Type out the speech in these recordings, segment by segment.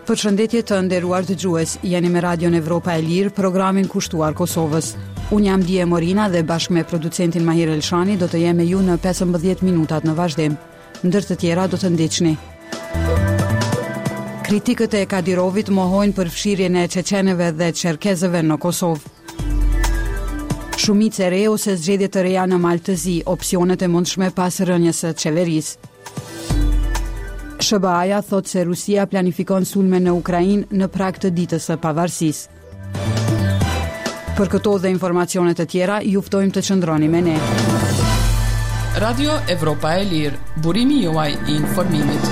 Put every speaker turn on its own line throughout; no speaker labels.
Përshëndetje të nderuar dëgjues, jeni me Radion Evropa e Lirë, programin kushtuar Kosovës. Unë jam Die Morina dhe bashkë me producentin Mahir Elshani do të jem me ju në 15 minutat në vazhdim. Ndër të tjera do të ndiqni. Kritikët e Kadirovit mohojnë përfshirjen e çeçenëve dhe çerkezëve në Kosovë. Shumicë e re ose zgjedhje të reja në Mal të Zi, opsionet e mundshme pas rënies së qeverisë. SHBA-ja thotë se Rusia planifikon sulme në Ukrainë në prag të ditës së pavarësisë. Për këto dhe informacione të tjera, ju ftojmë të qëndroni me ne.
Radio Evropa e Lirë, burimi juaj i informimit.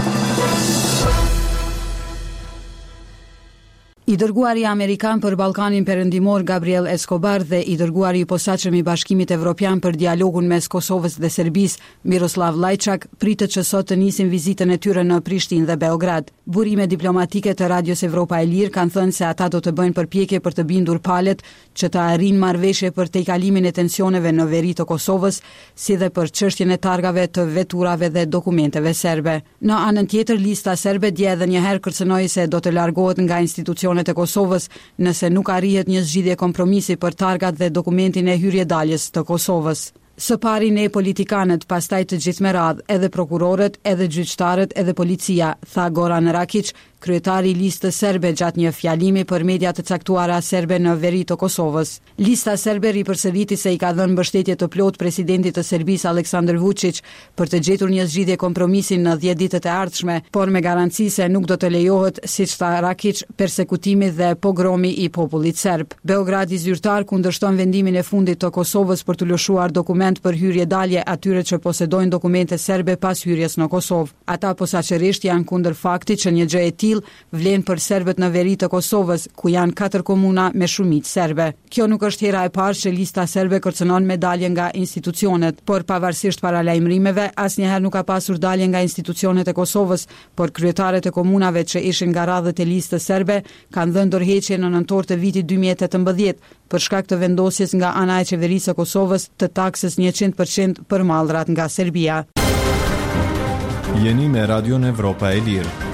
I dërguari amerikan për Ballkanin Perëndimor Gabriel Escobar dhe i dërguari i posaçëm i Bashkimit Evropian për dialogun mes Kosovës dhe Serbisë, Miroslav Lajçak, pritet që sot të nisin vizitën e tyre në Prishtinë dhe Beograd. Burime diplomatike të Radios Evropa e Lirë kanë thënë se ata do të bëjnë përpjekje për të bindur palët që të arrijnë marrëveshje për tejkalimin e tensioneve në veri të Kosovës, si dhe për çështjen e targave të veturave dhe dokumenteve serbe. Në anën tjetër, Lista Serbe dje edhe një herë kërcënoi se do të largohet nga institucionet e Kosovës nëse nuk arrihet një zgjidhje kompromisi për targat dhe dokumentin e hyrje-daljes të Kosovës. Së pari ne politikanët, pastaj të gjithë me radhë, edhe prokurorët, edhe gjyqtarët, edhe policia, tha Goran Rakiq, kryetari i Listës Serbe gjatë një fjalimi për media të caktuara serbe në veri të Kosovës. Lista Serbe ripërsëriti se i ka dhënë mbështetje të plotë presidentit të Serbisë Aleksandër Vuçiq për të gjetur një zgjidhje kompromisi në dhjetë ditët e ardhshme, por me garanci se nuk do të lejohet, siç tha Rakiq, persekutimi dhe pogromi i popullit serb. Beogradi zyrtar kundërshton vendimin e fundit të Kosovës për t'u lëshuar dokument për hyrje-dalje atyre që posedojnë dokumente serbe pas hyrjes në Kosovë. Ata posaçërisht janë kundër faktit që një gjë e tillë Vlen për serbët në veri të Kosovës, ku janë katër komuna me shumicë serbe. Kjo nuk është hera e parë që Lista Serbe kërcënon me dalje nga institucionet, por pavarësisht paralajmërimeve, asnjëherë nuk ka pasur dalje nga institucionet e Kosovës, por kryetarët e komunave që ishin nga radhët e Listës Serbe kanë dhënë dorëheqje në nëntor të vitit 2018, për shkak të vendosjes nga ana e Qeverisë së Kosovës të taksës 100% për mallrat nga Serbia.
Jeni me Radion Evropa e Lirë.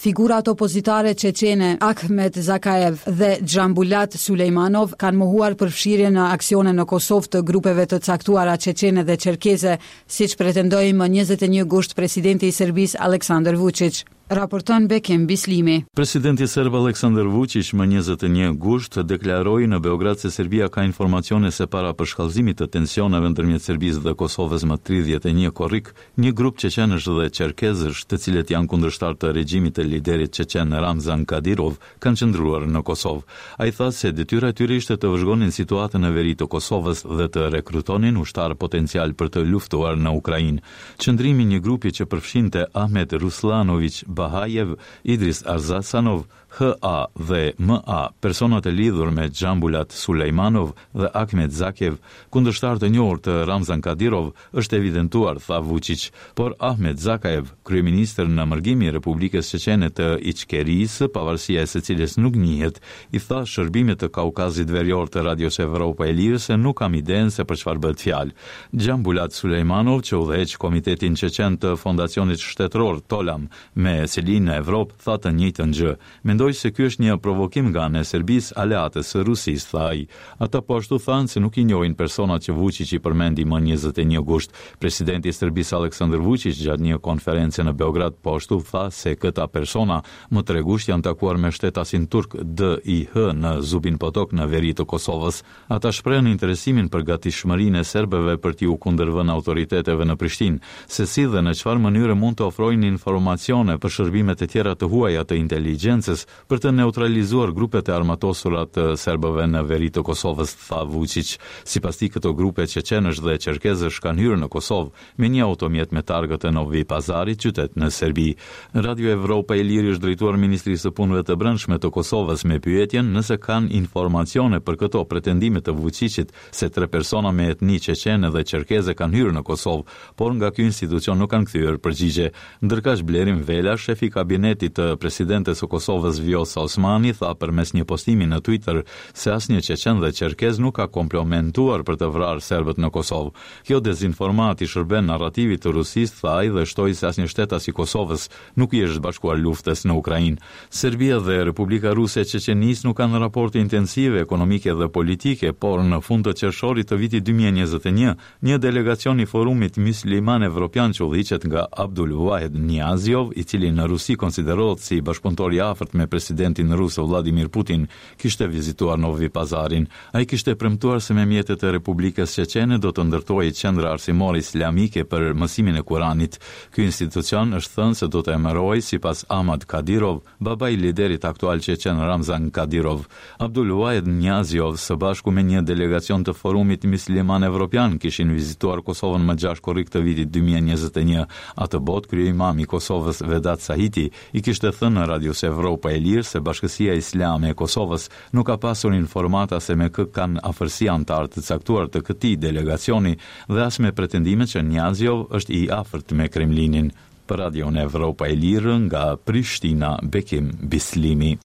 Figurat opozitare çeçene Akhmed Zakaev dhe Dzhambulat Sulejmanov kanë mohuar përfshirjen në aksione në Kosovë të grupeve të caktuara çeçene dhe çerkeze, siç pretendoi më 21 gusht presidenti i Serbisë Aleksandër Vuçiq. Raporton Bekim Bislimi.
Presidenti serb Aleksandar Vuçiq më 21 gusht deklaroi në Beograd se Serbia ka informacione se para përshkallëzimit të tensioneve ndërmjet Serbisë dhe Kosovës më 31 korrik, një grup çeçenësh dhe çerkezësh, të cilët janë kundërshtarë të regjimit të liderit çeçen Ramzan Kadyrov, kanë qëndruar në Kosovë. Ai tha se detyra e tyre ishte të vëzhgonin situatën në veri të Kosovës dhe të rekrutonin ushtarë potencialë për të luftuar në Ukrainë. Qëndrimi i një grupi që përfshinte Ahmed Ruslanoviq Bahajev, Idris Arzasanov, HA dhe MA, persona të lidhur me Dzhambulat Sulejmanov dhe Akhmed Zakiev, kundërshtarë të njohur të Ramzan Kadyrov, është evidentuar, tha Vuçiq. Por Ahmed Zakaev, kryeministër në mërgim i Republikës Çeçene të Içkerisë, pavarësia e së cilës nuk njihet, i tha shërbimit të Kaukazit Verior të Radios Evropa e Lirë se nuk kam idenë se për çfarë bëhet fjalë. Dzhambulat Sulejmanov, që udhëheq Komitetin Çeçen të Fondacionit Shtetëror Tolam me seli në Evropë, tha të njëjtën gjë. Mendoj se ky është një provokim nga ana e Serbisë, aleates së Rusisë, tha ai. Ata po ashtu thanë se nuk i njohin personat që Vuçiq i përmendi më 21 gusht. Presidenti i Serbisë Aleksandër Vuçiq gjatë një konference në Beograd po ashtu tha se këta persona më 3 gusht janë takuar me shtetasin turk DIH në Zubin Potok në veri të Kosovës. Ata shprehën interesimin për gatishmërinë e serbëve për t'iu kundërvënë autoriteteve në Prishtinë, se si dhe në çfarë mënyre mund të ofrojnë informacione për shërbimet e tjera të huaja të inteligjencës për të neutralizuar grupet e armatosura të serbëve në veri të Kosovës, tha Vuçiq. Sipas tij, këto grupe çeçenësh dhe çerkezësh kanë hyrë në Kosovë me një automjet me targë të Novi Pazarit, qytet në Serbi. Radio Evropa e Lirë i është drejtuar Ministrisë së Punëve të Brendshme të Kosovës me pyetjen nëse kanë informacione për këto pretendime të Vuçiqit se tre persona me etni çeçene dhe çerkeze kanë hyrë në Kosovë, por nga ky institucion nuk kanë kthyer përgjigje. Ndërkaq Blerim Vela, shefi i kabinetit të presidentes së Kosovës Vjosa Osmani tha përmes një postimi në Twitter se asnjë çeçen dhe çerkez nuk ka komplomentuar për të vrarë serbët në Kosovë. Kjo dezinformatë i shërben narrativit të Rusisë, tha ai dhe shtoi se asnjë shtetas i Kosovës nuk i është bashkuar luftës në Ukrainë. Serbia dhe Republika Ruse e Çeçenisë nuk kanë raporte intensive ekonomike dhe politike, por në fund të qershorit të vitit 2021, një delegacion i Forumit Mysliman Evropian që udhëhiqet nga Abdul Vahed Niaziov, i cili në Rusi konsiderohet si bashkëpunëtor i afërt me presidentin rus Vladimir Putin, kishte vizituar Novi Pazarin. Ai kishte premtuar se me mjetet e Republikës Çeçene do të ndërtohej qendra arsimore islamike për mësimin e Kuranit. Ky institucion është thënë se do të emërohej sipas Ahmad Kadyrov, babai i liderit aktual çeçen Ramzan Kadyrov. Abdul Vahed Niaziov së bashku me një delegacion të Forumit Mysliman Evropian kishin vizituar Kosovën më 6 korrik të vitit 2021. Atëbotë kryeimami i Kosovës Vedat Sahiti i kishte thënë në Radios Evropa e Lirë se Bashkësia Islame e Kosovës nuk ka pasur informata se me kë kanë afërsi anëtarë të caktuar të këtij delegacioni dhe as me pretendimet që Niaziov është i afërt me Kremlinin. Për Radion Evropa e Lirë nga Prishtina, Bekim Bislimi.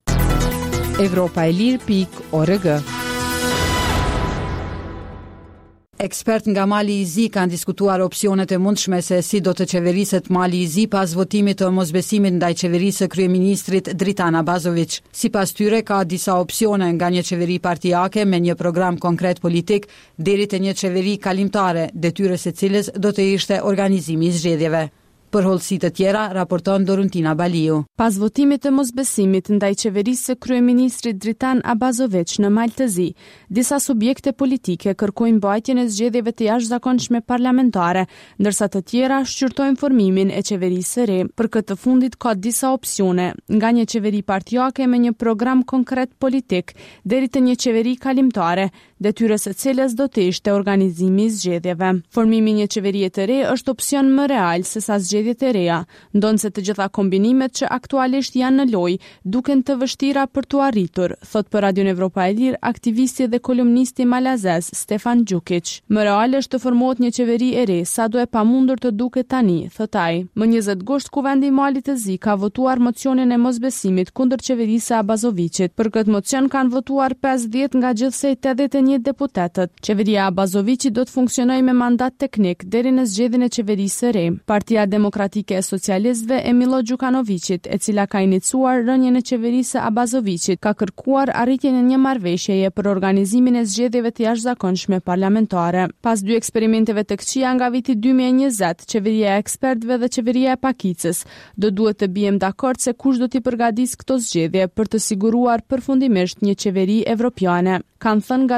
Evropa e Lirë pikë org. Ekspertë nga Mali i Zi kanë diskutuar opsionet e mundshme se si do të qeveriset Mali i Zi pas votimit të mosbesimit ndaj qeverisë së kryeministrit Dritan Abazoviq. Sipas tyre, ka disa opsione nga një qeveri partiake me një program konkret politik deri te një qeveri kalimtare, detyrë e së cilës do të ishte organizimi i zgjedhjeve. Për hollësi të tjera, raporton Doruntina Baliu.
Pas votimit të mosbesimit ndaj qeverisë së kryeministrit Dritan Abazoviq në Mal të Zi, disa subjekte politike kërkojnë mbajtjen e zgjedhjeve të jashtëzakonshme parlamentare, ndërsa të tjera shqyrtojnë formimin e qeverisë së re. Për këtë të fundit ka disa opsione, nga një qeveri partiake me një program konkret politik, deri te një qeveri kalimtare, detyrë e së cilës do të ishte organizimi i zgjedhjeve. Formimi i një qeverie të re është opsion më real sesa zgjedhjet e reja, ndonëse të gjitha kombinimet që aktualisht janë në lojë duken të vështira për t'u arritur, thotë për Radion Evropa e Lirë aktivisti dhe kolumnisti malazez Stefan Gjukiq. Më reale është të formohet një qeveri e re, sado e pamundur të duket tani, thotë ai. Më 20 gusht Kuvendi i Malit të Zi ka votuar mocionin e mosbesimit kundër qeverisë së Abazoviqit. Për këtë mocion kanë votuar 50 nga gjithsej 81 deputetët. Qeveria e Abazoviqit do të funksionojë me mandat teknik deri në zgjedhjen e qeverisë së re. Partia Demokratike e Socialistëve e Millo Gjukanoviqit, e cila ka iniciuar rënien e qeverisë së Abazoviqit, ka kërkuar arritjen e një marrëveshjeje për organizimin e zgjedhjeve të jashtëzakonshme parlamentare. Pas dy eksperimenteve të këqija nga viti 2020, qeveria e ekspertëve dhe qeveria e pakicës do duhet të biem dakord se kush do t'i përgatisë këto zgjedhje për të siguruar përfundimisht një qeveri evropiane, kanë thënë nga.